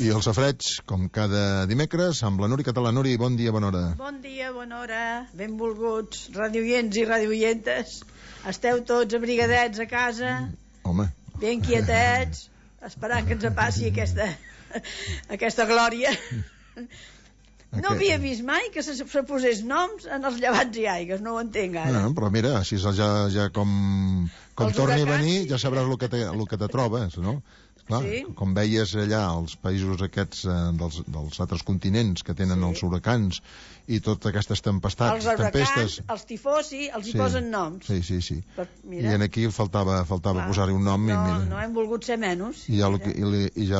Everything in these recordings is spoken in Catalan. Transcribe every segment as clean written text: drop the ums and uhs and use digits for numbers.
I el safareig, com cada dimecres, amb la Núria Català. Núria, bon dia, bona hora. Bon dia, bona hora. Benvolguts, radioients i radioientes. Esteu tots abrigadets a casa, Home. ben quietets, esperant que ens passi aquesta glòria. No havia vist mai que se posés noms en els llevants i aigues, no ho entenc ara. No, però mira, així ja com torni a venir, ja sabràs el que te trobes, no? Clar, sí. Com veies allà als països aquests dels altres continents que tenen els huracans i totes aquestes tempestes, els tifosi, els hi posen noms. Sí. Però, i aquí faltava posar-hi un nom. No hem volgut ser menys. I ja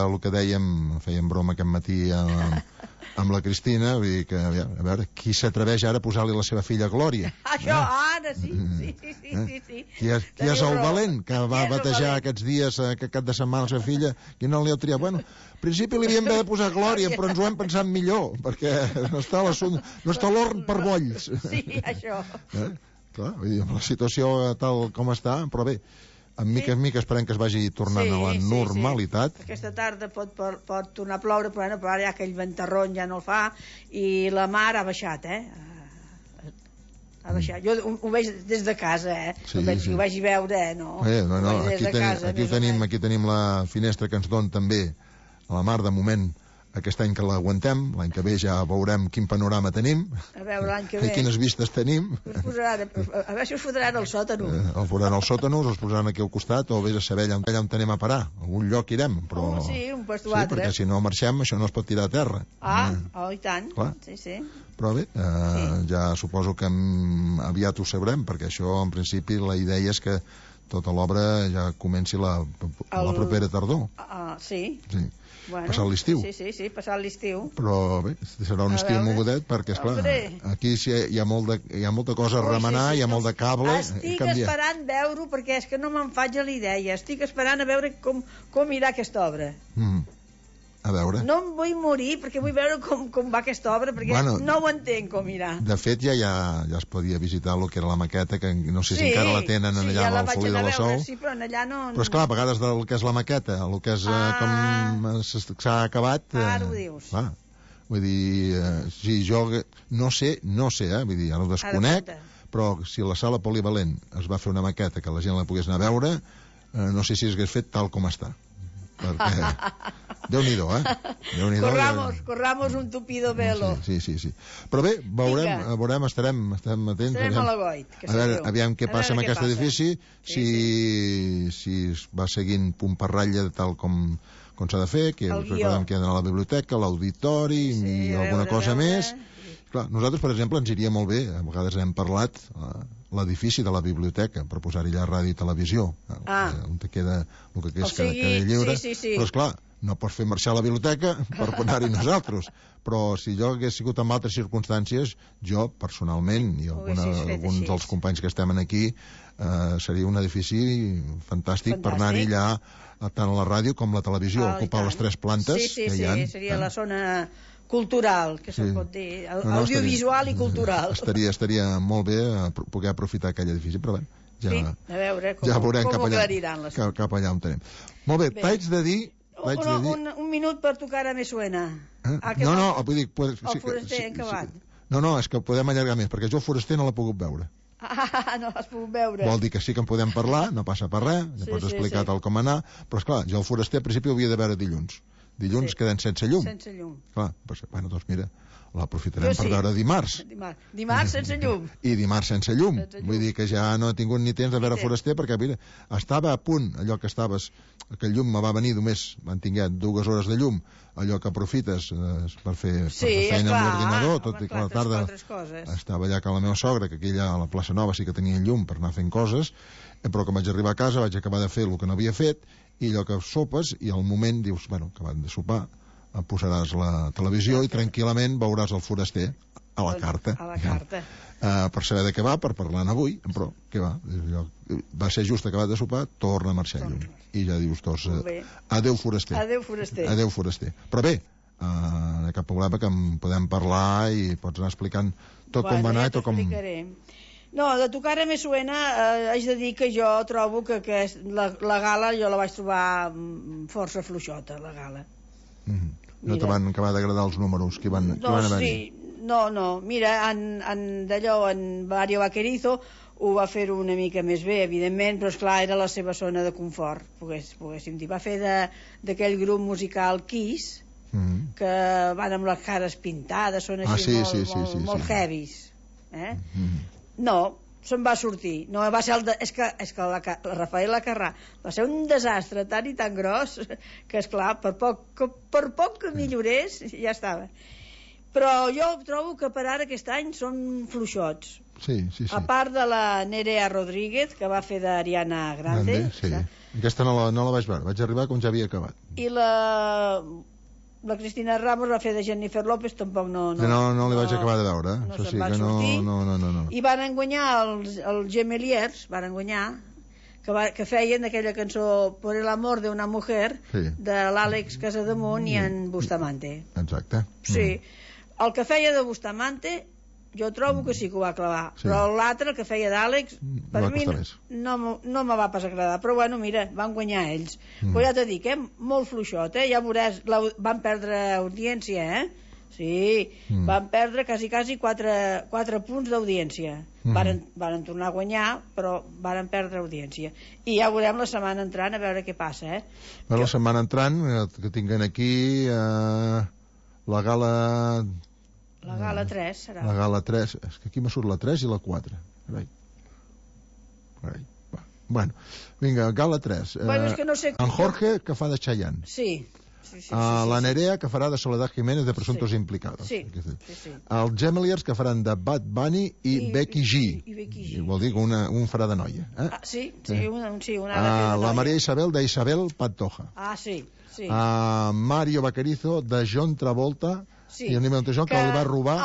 el que dèiem, fèiem broma aquest matí amb la Cristina, vull dir que, a veure, qui s'atreveix ara a posar-li la seva filla Glòria? Això, ara sí. Qui és el valent que va batejar aquests dies, aquest cap de setmana, la seva filla? Qui no li ha triat? Bueno, al principi li havíem de posar Glòria, però ens ho hem pensat millor, perquè no està l'horn per bolls. Sí, això. Clar, vull dir, amb la situació tal com està, però bé, en mica esperem que es vagi tornant a la normalitat. Aquesta tarda pot tornar a ploure, però ara ja aquell ventarrón ja no el fa, i la mar ha baixat, ha baixat. Jo ho veig des de casa, ho vaig veure, no? Aquí tenim la finestra que ens don també a la mar, de moment, aquest any que l'aguantem. L'any que ve ja veurem quin panorama tenim, a veure l'any que ve i quines vistes tenim. A veure si us fotran al sòtano. El faran als sòtanos, els posaran aquí al costat, o vés a saber allà on anem a parar. A algun lloc irem, però... Sí, un post o altre. Perquè si no marxem, això no es pot tirar a terra. I tant. Clar. Sí. Però bé, ja suposo que aviat ho sabrem, perquè això, en principi, la idea és que tota l'obra ja comenci la propera tardor. Sí. Bueno, passat l'estiu. Sí, passat l'estiu. Però bé, serà un estiu mogudet, perquè, esclar, aquí hi ha molta cosa a remenar, hi ha molt de cable. Estic esperant veure-ho, perquè és que no me'n faig a l'idea. Estic esperant a veure com irà aquesta obra. A veure. No em vull morir, perquè vull veure com va aquesta obra, perquè no ho entenc com irà. De fet, ja es podia visitar el que era la maqueta, que no sé si encara la tenen allà al Folí de la Sol. Sí, però allà no... Però esclar, a vegades del que és la maqueta, el que és com s'ha acabat... Ara ho dius. Clar, vull dir, si jo no sé, vull dir, ara ho desconec, però si a la sala polivalent es va fer una maqueta que la gent la pogués anar a veure, no sé si s'hagués fet tal com està. Perquè Déu-n'hi-do, corramos un tupido velo. Sí. Però bé, veurem, estarem atents. Estarem a l'agoit. A veure, aviam què passa amb aquest edifici, si va seguint punt per ratlla tal com s'ha de fer, que recordem que hi ha d'anar a la biblioteca, l'auditori i alguna cosa més. Clar, nosaltres, per exemple, ens iria molt bé, a vegades hem parlat, l'edifici de la biblioteca, per posar-hi allà ràdio i televisió, on queda el que és queda lliure, però esclar, no pots fer marxar la biblioteca per anar-hi nosaltres, però si jo hagués sigut en altres circumstàncies, jo personalment i alguns dels companys que estem aquí, seria un edifici fantàstic per anar-hi allà, tant a la ràdio com a la televisió, ocupar les 3 plantes que hi ha. Sí, seria la zona cultural, que se'n pot dir, audiovisual i cultural. Estaria molt bé poder aprofitar aquell edifici, però bé, a veure com ho aclariran les coses. Cap allà on tenim. Molt bé, t'haig de dir... Un minut per tocar a Me Suena. No, vull dir... El Foraster, en acabat. No, és que podem allargar més, perquè jo el Foraster no l'he pogut veure. No l'has pogut veure. Vol dir que sí que en podem parlar, no passa per res, ja pots explicar tal com anar, però esclar, jo el Foraster al principi ho havia de veure dilluns queden sense llum. Clar, doncs mira, l'aprofitarem per veure dimarts. Dimarts sense llum. I dimarts sense llum. Vull dir que ja no he tingut ni temps de veure Foraster, perquè mira, estava a punt, allò que el llum me va venir només, van tinguer 2 hores de llum, allò que aprofites per fer feina amb l'ordinador, tot i que a la tarda estava allà que la meva sogra, que aquí allà a la plaça Nova sí que tenia llum per anar fent coses, però quan vaig arribar a casa vaig acabar de fer el que no havia fet, i allò que sopes, i al moment dius, acabant de sopar, posaràs la televisió i tranquil·lament veuràs el Foraster a la carta. Per saber de què va, per parlar avui, però què va? Va ser just acabat de sopar, torna a marxar lluny. I ja dius, adeu Foraster. Adeu Foraster. Però bé, no hi ha cap problema que en podem parlar i pots anar explicant tot com va anar i tot com... No, de tocar a Me Suena haig de dir que jo trobo que la gala jo la vaig trobar força fluixota, la gala. No te van acabar d'agradar els números que van haver-hi? No, mira, d'allò, en Mario Vaquerizo ho va fer una mica més bé, evidentment, però esclar, era la seva zona de confort, poguéssim dir. Va fer d'aquell grup musical Kiss, que van amb les cares pintades, són així molt heavies. No, se'n va sortir. No, va ser és que la Rafaela Carrà va ser un desastre tan i tan gros que, esclar, per poc que millorés, ja estava. Però jo trobo que per ara aquest any són fluixots. Sí. A part de la Nerea Rodríguez, que va fer d'Ariana Grande. Sí. Aquesta no la vaig veure, vaig arribar com ja havia acabat. I la Cristina Ramos va fer de Jennifer López, tampoc no li vaig acabar de veure. No se'n van sortir. I van guanyar els Gemeliers, que feien aquella cançó Por el amor de una mujer, de l'Àlex Casademunt i en Bustamante. Exacte. Sí. El que feia de Bustamante jo trobo que sí que ho va clavar, però l'altre, el que feia d'Àlex, per mi no me va pas agradar, però bueno, mira, van guanyar ells. Però ja t'he dit, molt fluixot, ja veuràs, van perdre audiència, sí, van perdre quasi 4 punts d'audiència. Varen tornar a guanyar, però varen perdre audiència. I ja veurem la setmana entrant a veure què passa, La setmana entrant, que tinguen aquí la gala... La gala 3 serà. La gala 3, és que aquí me surt la 3 i la 4. Bueno, vinga, gala 3. És que no sé... En Jorge, que fa de Chayanne. Sí. La Nerea, que farà de Soledad Jiménez de Presuntos Implicados. Sí. Els Gemeliers, que faran de Bad Bunny i Becky G. Vol dir que un farà de noia. La Maria Isabel, d'Isabel Pantoja. Sí. Mario Vaquerizo, de John Travolta, i el Nime Montejón, que li va robar...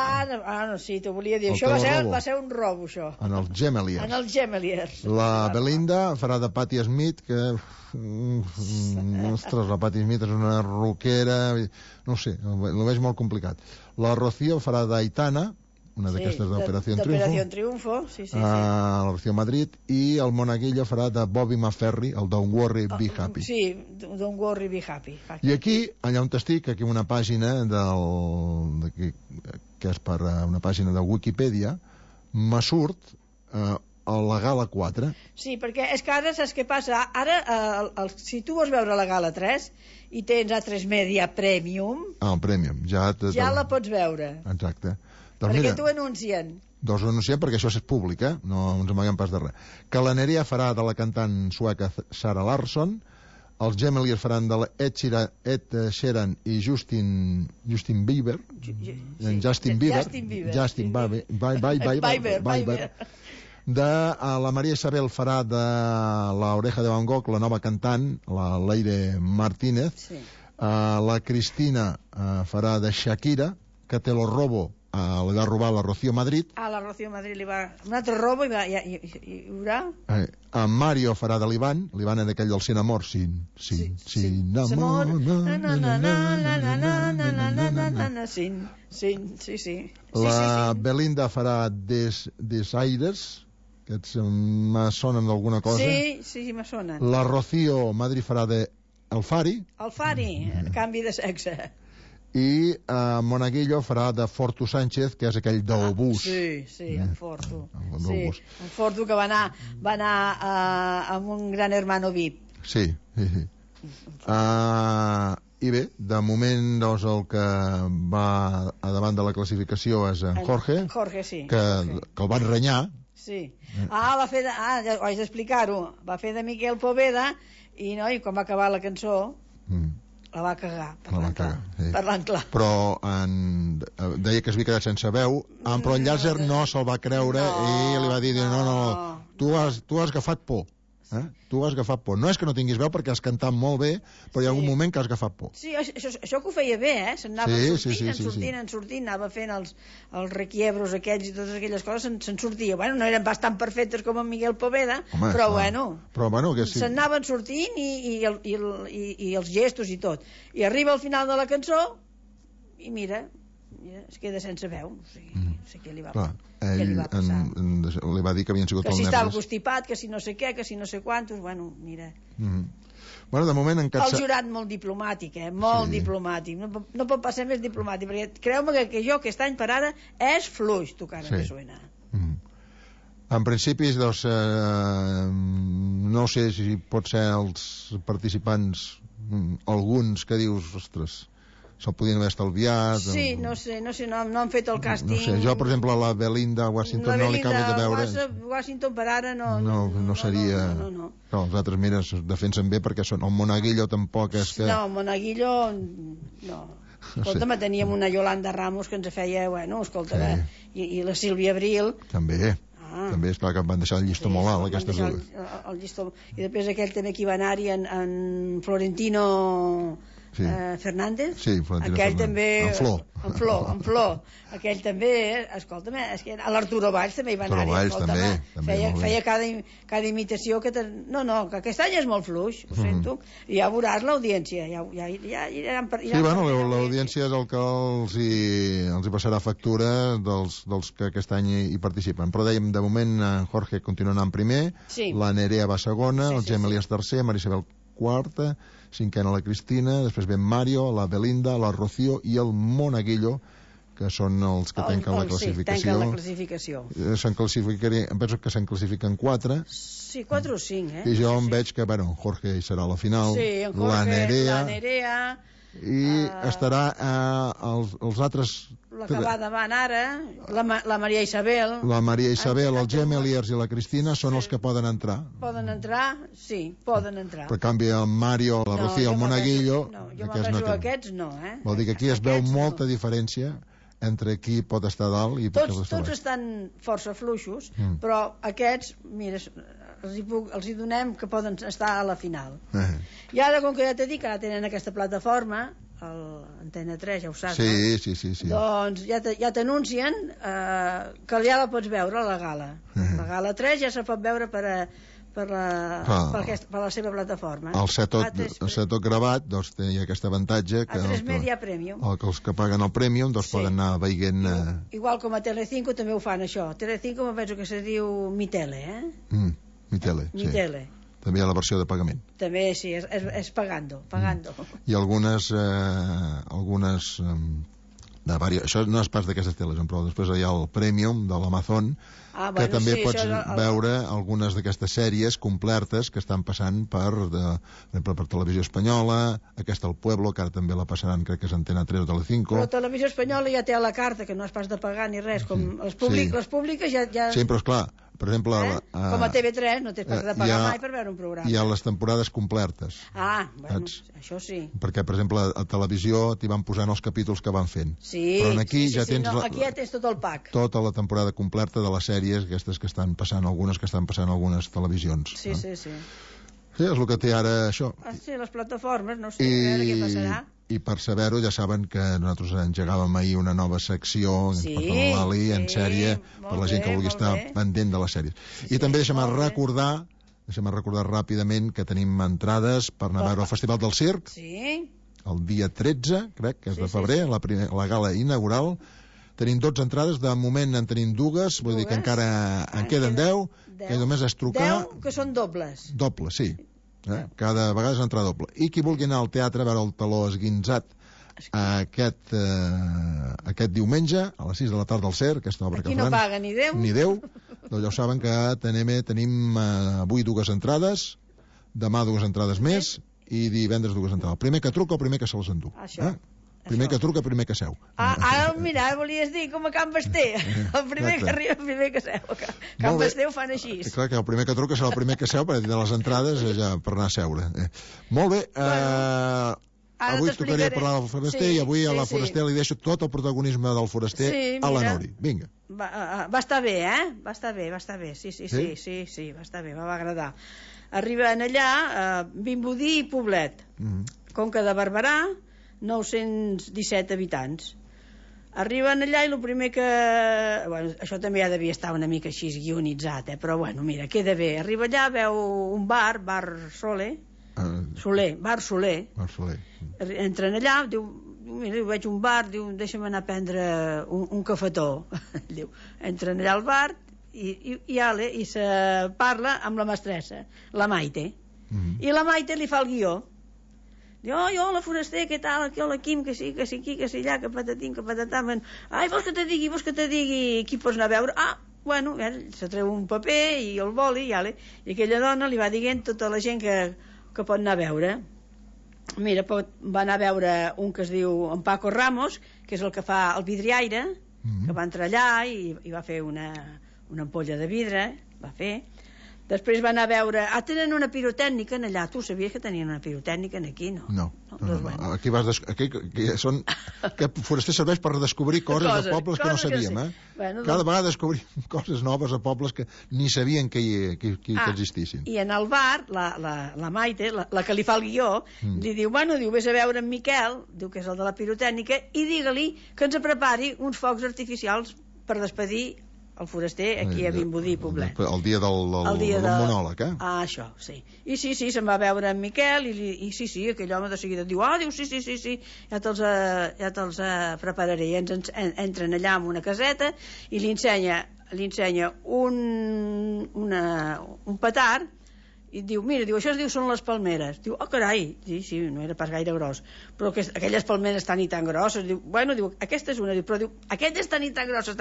Sí, t'ho volia dir. Això va ser un robo, això. En els Gemeliers. La Belinda farà de Patti Smith, que... Ostres, la Patti Smith és una rockera... No sé, ho veig molt complicat. La Rocío farà d'Aitana, una d'aquestes d'Operació Triunfo. La Rocío Madrid, i el Monaguillo farà de Bobby McFerry, el Don't Worry, Be Happy. Sí, Don't Worry, Be Happy. I aquí, allà on estic, aquí una pàgina que és per una pàgina de Wikipedia, me surt a la Gala 4. Sí, perquè és que ara saps què passa? Ara, si tu vols veure la Gala 3 i tens A3 Media Premium... Premium. Ja la pots veure. Exacte. Perquè t'ho anuncien. Doncs ho anuncien perquè això és públic, no ens amaguem pas de res. Que la Nerea farà de la cantant sueca Sara Larsson, els Gemeliers faran de Ed Sheeran i Justin Bieber. Justin Bieber. La Maria Isabel farà de la Oreja de Van Gogh, la nova cantant, la Leire Martínez. La Cristina farà de Shakira, que te lo robo, li va robar la Rocío Madrid. La Rocío Madrid li va... Un altre robo i haurà... En Mario farà de l'Ivan és aquell del Sin Amor. Sin Amor. Sí. La Belinda farà Desaires, que me sonen d'alguna cosa. Sí, me sonen. La Rocío Madrid farà de El Fari, canvi de sexe. I Monaguillo farà de Fortu Sánchez, que és aquell del bus. Sí, en Fortu. En Fortu, que va anar amb un gran hermano VIP. Sí. I bé, de moment doncs, el que va a davant de la classificació és en Jorge, que el van renyar. Sí. Va fer ho haig d'explicar-ho, va fer de Miquel Poveda i quan va acabar la cançó la va cagar, parlant clar. Però deia que s'havia quedat sense veu, però en Llàser no se'l va creure i li va dir, no, tu has agafat por. Tu has agafat por. No és que no tinguis veu perquè has cantat molt bé, però hi ha algun moment que has agafat por. Sí, això que ho feia bé, s'anava sortint, anava fent els requiebros aquells i totes aquelles coses, se'n sortia. Bueno, no eren bastant perfectes com en Miguel Poveda, però bueno, s'anaven sortint i els gestos i tot. I arriba al final de la cançó i mira, es queda sense veu, no sé què li va passar. Li va dir que havien sigut els nervis. Que si estava nervis. constipat, que si no sé què, que si no sé quantos, bueno, mira. Bueno, de moment en el jurat molt diplomàtic, molt diplomàtic, no pot passar més diplomàtic, perquè creu-me que jo aquest any per ara és fluix tocant a Suena. En principi, doncs, no sé si pot ser els participants, alguns que dius, ostres, se'l podien haver estalviat. Sí, no sé, no han fet el càsting. No sé, jo, per exemple, la Belinda Washington no li acabo de veure. Washington per ara no seria... No. Els altres, mira, es defensen bé perquè són... El Monaguillo tampoc és que... No, Monaguillo, no. Escolta'm, teníem una Yolanda Ramos que ens feia, bueno, escolta, i la Sílvia Abril. També. També, esclar, que van deixar el llistó molt alt, aquestes dues. El llistó. I després aquell també que hi va anar-hi en Florentino... Fernández, aquell també en Flor, aquell també, escolta'm, a l'Arturo Valls també hi va anar, feia cada imitació que que aquest any és molt fluix, ho sento, i ja veuràs l'audiència, l'audiència és el que els hi passarà factura dels que aquest any hi participen, però dèiem, de moment en Jorge continua anant primer, la Nerea va segona, el Gemelies tercer, Marisabel quarta, cinquena la Cristina, després ve Mario, la Belinda, la Rocío i el Monaguillo, que són els que tanquen la classificació. Tanquen la classificació. Em penso que se'n classifiquen 4. Sí, 4 o 5, I jo em veig que, bueno, Jorge hi serà a la final, la Nerea, i estarà els altres... La que va davant ara, la Maria Isabel... La Maria Isabel, el Gemeliers i la Cristina són els que poden entrar. Poden entrar, sí, poden entrar. Per canvi, el Mario, la Rocío, el Monaguillo... No, jo m'avejo aquests, no, Vol dir que aquí es veu molta diferència entre qui pot estar dalt i... Tots estan força fluixos, però aquests, mira, els hi donem que poden estar a la final. I ara, com que ja t'he dit que ara tenen aquesta plataforma, Antena 3, ja ho saps, sí. Doncs ja t'anuncien que ja la pots veure a la gala. La gala 3 ja se pot veure per la seva plataforma. Al ser tot gravat, doncs té aquest avantatge que a 3 Media Premium. Els que paguen el Premium doncs poden anar veient... Igual com a Telecinco també ho fan, això. Telecinco me penso que se diu Mi Tele, Mitele, sí. Mitele. També hi ha la versió de pagament. També, sí, és pagando. I algunes això no és pas d'aquestes teles, però després hi ha el Premium de l'Amazon, que també pots veure algunes d'aquestes sèries complertes que estan passant per Televisió Espanyola, aquesta El Pueblo, que ara també la passaran, crec que és Antena 3 o Telecinco. Però Televisió Espanyola ja té a la carta, que no és pas de pagar ni res, com les públiques ja... Sí, però esclar, per exemple... Com a TV3 no tens de pagar mai per veure un programa. Hi ha les temporades complertes. Bueno, això sí. Perquè, per exemple, a televisió t'hi van posant els capítols que van fent. Sí, però aquí ja tens aquí ja tens tot el pack. Tota la temporada completa de les sèries, aquestes que estan passant, algunes algunes televisions. Sí. Sí, és el que té ara això. Sí, les plataformes, no sé, a veure què passarà. I per saber-ho ja saben que nosaltres engegàvem ahir una nova secció en sèrie per la gent que vulgui estar pendent de les sèries. I també deixem recordar ràpidament que tenim entrades per anar a veure el Festival del Circ el dia 13, crec que és de febrer, la gala inaugural. Tenim 12 entrades, de moment en tenim 2, vull dir que encara en queden 10, que només és trucar... 10 que són dobles. Dobles, sí. Cada vegada és entrada doble. I qui vulgui anar al teatre a veure el Taló Esguinzat aquest diumenge a les 6 de la tarda al CER, aquesta obra que faran... Aquí no paga ni Déu. Doncs ja ho saben que tenim avui 2 entrades, demà 2 entrades més i divendres 2 entrades. El primer que truca o el primer que se les endú. Primer que truca, primer que seu. Ara, mira, volies dir com a Can Basté. El primer que arriba, el primer que seu. Can Basté ho fan així. Clar que el primer que truca serà el primer que seu, perquè de les entrades ja per anar a seure. Molt bé, avui tocaria parlar del Foraster i avui a la Foraster li deixo tot el protagonisme del Foraster a la Nori. Vinga. Va estar bé, va estar bé. Sí, va estar bé, va agradar. Arriben allà Vimbodí i Poblet, Conca de Barberà, 917 habitants. Arriben allà i el primer que... Bueno, això també ja devia estar una mica així guionitzat, però bueno, mira, queda bé. Arriba allà, veu un bar Soler. Bar Soler. Entren allà, diu, mira, veig un bar, diu, deixa'm anar a prendre un cafetó. Diu, entren allà al bar i se parla amb la mestressa, la Maite. I la Maite li fa el guió. Diu, hola, foraster, què tal? Aquí, hola, Quim, que sí, aquí, que sí, allà, que patatim, que patatam. Ai, vols que te digui qui pots anar a veure? Bueno, se treu un paper i el boli, i aquella dona li va dient tota la gent que pot anar a veure. Mira, va anar a veure un que es diu en Paco Ramos, que és el que fa el vidriaire, que va entrar allà i va fer una ampolla de vidre, va fer. Després van a veure... tenen una pirotècnica allà. Tu sabies que tenien una pirotècnica aquí, no? No. Aquí aquest foraster serveix per descobrir coses de pobles que no sabíem, Cada vegada descobrim coses noves a pobles que ni sabien que existissin. I en el bar, la Maite, la que li fa el guió, li diu, vés a veure en Miquel, diu que és el de la pirotècnica, i digue-li que ens prepari uns focs artificials per despedir el foraster aquí a Vimbodí i Poblet. El dia del monòleg, això, sí. I sí, se'n va veure en Miquel i sí, aquell home de seguida diu, sí, ja te'ls prepararé. I entren allà en una caseta i li ensenya un petard i diu, mira, això es diu són les palmeres. Diu, carai, sí, no era pas gaire gros, però aquelles palmeres tan i tan grosses. Diu, aquesta és una, però diu, aquestes tan i tan grosses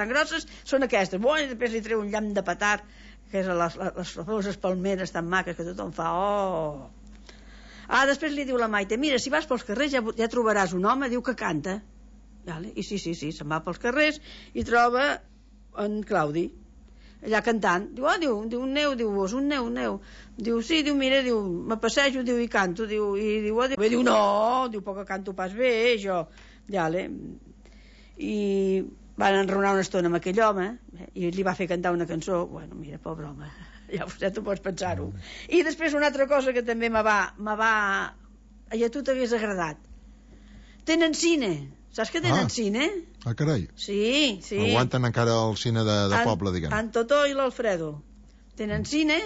són aquestes. I després li treu un llamp de petard, que és les famoses palmeres tan maques que tothom fa, després li diu la Maite, mira, si vas pels carrers ja trobaràs un home, diu que canta. I sí, se'n va pels carrers i troba en Claudi allà cantant. Diu, un neu, un neu. Diu, sí, mira, me passejo, i canto. Diu, no, poc que canto pas bé, jo. I van enraonar una estona amb aquell home i li va fer cantar una cançó. Mira, pobre home, ja tu pots pensar-ho. I després una altra cosa que també me va i a tu t'hagués agradat. Tenen cine. Saps que tenen cine? Carai. Sí. Aguanten encara el cine de poble, diguem. En Totó i l'Alfredo tenen cine,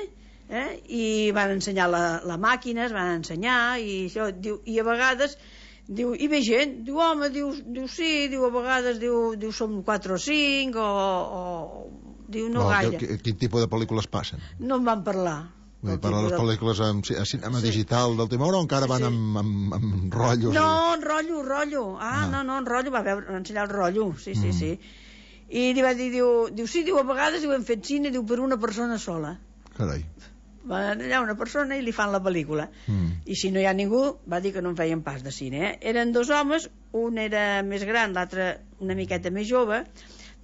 i van ensenyar la màquina, es van ensenyar, i això, i a vegades, hi ve gent, home, sí, a vegades, som 4 o 5, no gaire. Quin tipus de pel·lícules passen? No en van parlar. Per les pel·lícules amb cinema digital d'última hora o encara van amb rotllos? No, en rotllo. No, en rotllo, va ensenyar el rotllo, sí. I li va dir, sí, a vegades hem fet cine, per una persona sola. Carai. Van allà una persona i li fan la pel·lícula. I si no hi ha ningú, va dir que no en feien pas de cine. Eren 2 homes, un era més gran, l'altre una miqueta més jove,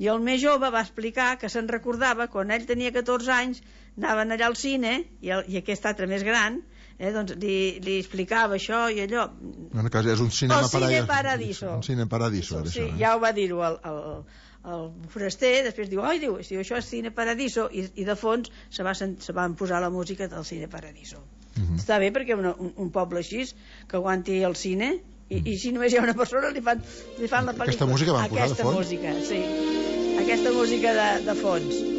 i el més jove va explicar que se'n recordava quan ell tenia 14 anys, anaven allà al cine i aquest altre més gran li explicava això i allò. En cas és un cinema paradiso. Un cine paradiso. Sí, ja ho va dir-ho el foraster. Després diu, això és cine paradiso, i de fons se van posar la música del cine paradiso. Està bé perquè un poble així que aguanti el cine, i si només hi ha una persona li fan la pel·lícula. Aquesta música van posar de fons? Aquesta música de fons.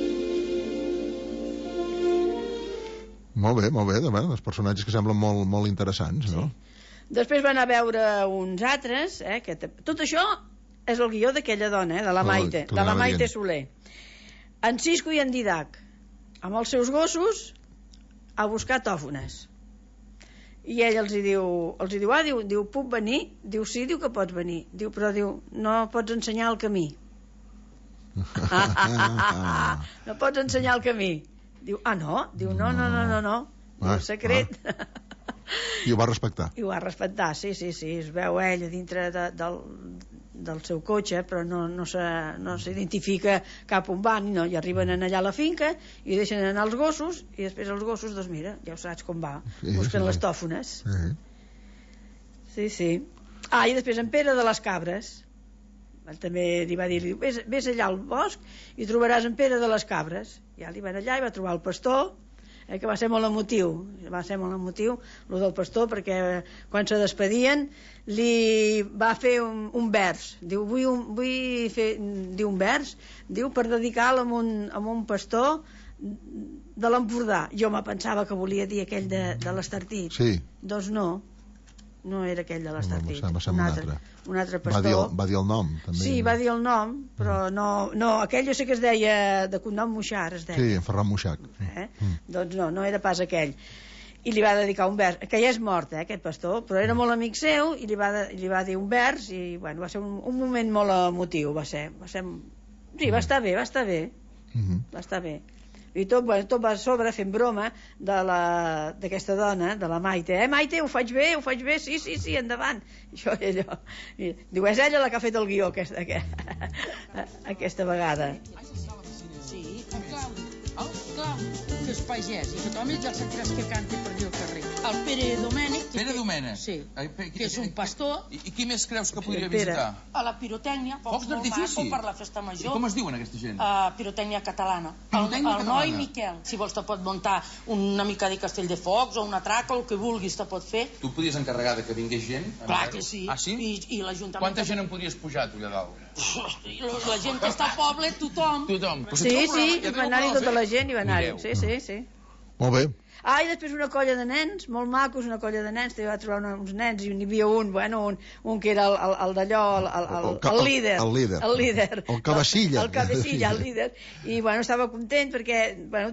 Molt bé, els personatges que semblen molt interessants, no? Després van a veure uns altres, tot això és el guió d'aquella dona, de la Maite Soler. En Cisco i en Didac, amb els seus gossos, a buscar tòfones. I ell els diu, puc venir? Diu, sí, que pots venir. Diu, però no pots ensenyar el camí. No pots ensenyar el camí. Diu, no? Diu, no. Diu, secret. I ho va respectar. I ho va respectar, sí. Es veu ell a dintre del seu cotxe, però no s'identifica cap on van, i arriben allà a la finca i deixen anar els gossos, i després els gossos, doncs mira, ja ho saps com va, busquen les tòfones. Sí. I després en Pere de les Cabres també li va dir, vés allà al bosc i trobaràs en Pere de les Cabres. Ja li van allà i va trobar el pastor, que va ser molt emotiu lo del pastor, perquè quan se despedien li va fer un vers. Diu, vull fer un vers, per dedicar-lo a un pastor de l'Empordà. Jo me pensava que volia dir aquell de l'Estartit. Sí. Doncs no, no era aquell de l'Estartit. Va ser un altre. Un altre pastor. Va dir el nom, també. Sí, va dir el nom, però no, aquell jo sé que es deia, de cognom Moixar, es deia. Sí, en Ferran Moixac. Doncs no era pas aquell. I li va dedicar un vers, que ja és mort, aquest pastor, però era molt amic seu, i li va dir un vers, i bueno, va ser un moment molt emotiu, sí, va estar bé. Va estar bé. I tot va a sobre fent broma d'aquesta dona, de la Maite. Maite, ho faig bé? Sí, endavant. Diu, és ella la que ha fet el guió aquesta vegada. Sí, el Claudi, que és pagès, i tothom ja el sentiràs que canta per dir al carrer. El Pere Domènec. Pere Domènec? Sí, que és un pastor. I qui més creus que podria visitar? A la pirotècnia, focs d'artifici per la festa major. I com es diuen aquesta gent? Pirotècnia catalana. El noi Miquel. Si vols te pot muntar una mica de castell de focs o una traca o el que vulguis te pot fer. Tu podies encarregar de que vingués gent? Clar que sí. Ah, sí? I l'Ajuntament... Quanta gent en podries pujar, tu, allà dalt? La gent que està al poble, tothom. Sí, i va anar-hi tota la gent, i va anar-hi. Sí. Molt bé. I després una colla de nens, molt macos, una colla de nens, va trobar uns nens, i n'hi havia un que era el d'allò, el líder. El cabecilla. El líder. I, estava content perquè,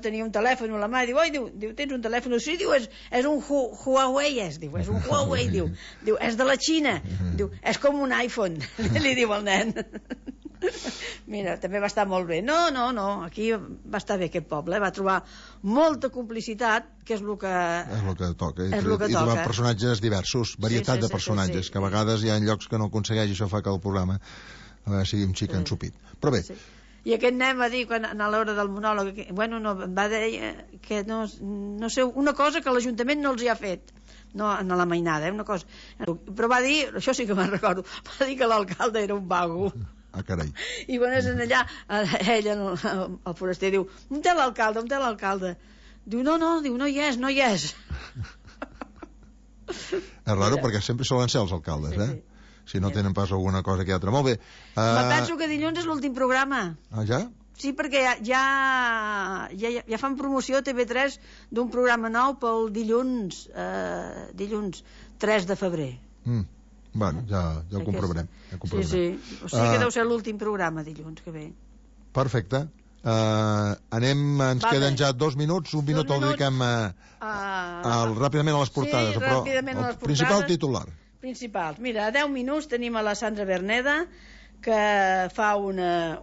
tenia un telèfon a la mà, i diu, tens un telèfon? Sí, diu, és un Huawei, és un Huawei, diu, és de la Xina, diu, és com un iPhone, li diu el nen. Mira, també va estar molt bé. No, aquí va estar bé aquest poble, va trobar molta complicitat, que és el que toca. I trobar personatges diversos, varietat de personatges, que a vegades hi ha llocs que no aconsegueix, i això fa que el programa sigui un xic ensupit. Però bé. I aquest nen va dir, a l'hora del monòleg, va dir que no sé, una cosa que l'Ajuntament no els hi ha fet, no en la mainada, una cosa. Però va dir, això sí que me'n recordo, va dir que l'alcalde era un vago. Ah, carai. I quan és allà, ell, el foraster, diu, on té l'alcalde? Diu, no hi és. És raro perquè sempre solen ser els alcaldes, si no tenen pas alguna cosa que altra. Molt bé. Penso que dilluns és l'últim programa. Ah, ja? Sí, perquè ja fan promoció a TV3 d'un programa nou pel dilluns 3 de febrer. Bueno, ja ho comprovarem. Sí. O sigui que deu ser l'últim programa dilluns que ve. Perfecte. Ens queden ja 2 minuts. Un minut el dediquem ràpidament a les portades. Sí, ràpidament a les portades. Principal titular. Principals. Mira, a 10 minuts tenim a la Sandra Berneda, que fa una...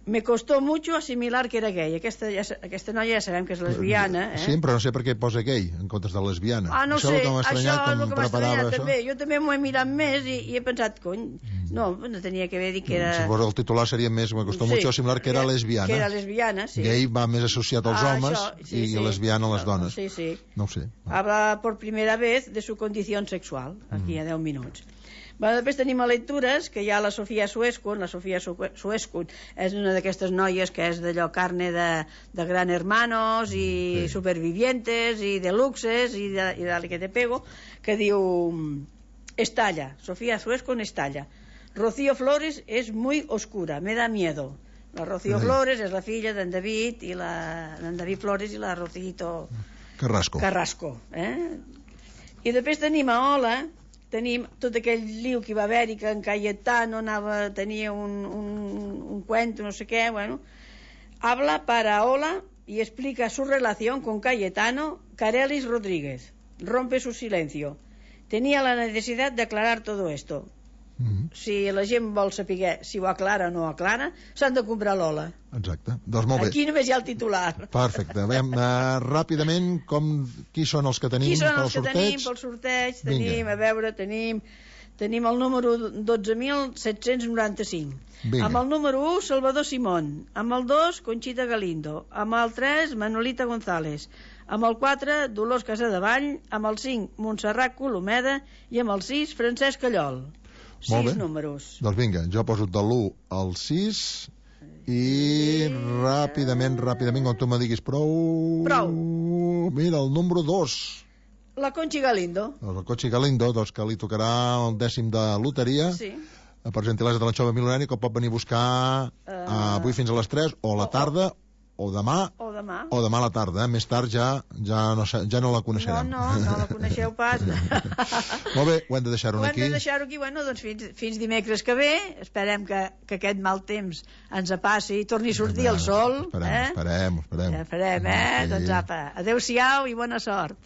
Me costó mucho asimilar que era gay. Aquesta noia ja sabem que és lesbiana. Sí, però no sé per què posa gay en comptes de lesbiana. No sé, això és el que m'ha estranyat també. Jo també m'ho he mirat més i he pensat, no tenia que haver dit que era... Si fos el titular seria més, me costó mucho asimilar que era lesbiana. Que era lesbiana, sí. Gay va més associat als homes i lesbiana a les dones. Sí. No ho sé. Habla por primera vez de su condición sexual, aquí a 10 minuts. Després tenim a lectures que hi ha la Sofia Suescun. La Sofia Suescun és una d'aquestes noies que és d'allò carne de Gran Hermanos i Supervivientes i de Luxes i de que te pego, que diu Estalla, Sofia Suescun Estalla. Rocío Flores es muy oscura, me da miedo. La Rocío Flores és la filla d'en David i d'en David Flores i la Rocito Carrasco. I després tenim a Ola, tenim tot aquell liu que va haver-hi, que en Cayetano tenia un cuento, no sé què, habla para Ola y explica su relación con Cayetano. Carelis Rodríguez rompe su silencio. Tenía la necesidad de aclarar todo esto. Si la gent vol saber si ho aclara o no aclara, s'han de comprar l'Ola. Exacte, doncs molt bé. Aquí només hi ha el titular. Perfecte. Veiem ràpidament qui són els que tenim pel sorteig. Tenim el número 12.795. Amb el número 1, Salvador Simón. Amb el 2, Conxita Galindo. Amb el 3, Manolita González. Amb el 4, Dolors Casadevall. Amb el 5, Montserrat Colomeda. I amb el 6, Francesc Callol. 6 números. Doncs vinga, jo poso de l'1 al 6 i ràpidament, quan tu me diguis prou. Mira, el número 2. La Conchi Galindo. La Conchi Galindo, doncs que li tocarà el 10è de loteria. Sí. Per gentilesa de l'Anxova Milonari, que pot venir a buscar avui fins a les 3 o a la tarda o demà o demà. O demà a la tarda, més tard ja no la coneixerem. No la coneixeu pas. Molt bé, ho hem de deixar-ho aquí. Ho hem de deixar-ho aquí, bueno, doncs fins dimecres que ve. Esperem que aquest mal temps ens passi i torni a sortir el sol. Esperem. Ja farem, Sí. Doncs apa, adeu-siau i bona sort.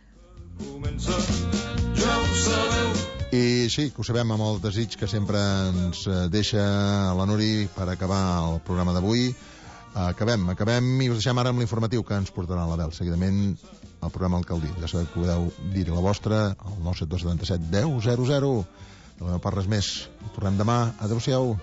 I sí, que ho sabem amb el desig que sempre ens deixa la Nuri per acabar el programa d'avui. Acabem i us deixem ara amb l'informatiu que ens portarà l'Abel. Seguidament el programa Alcaldia. Ja sabeu que podeu dir la vostra al 97277 10 00. No hi ha pas res més. Tornem demà. Adéu-siau.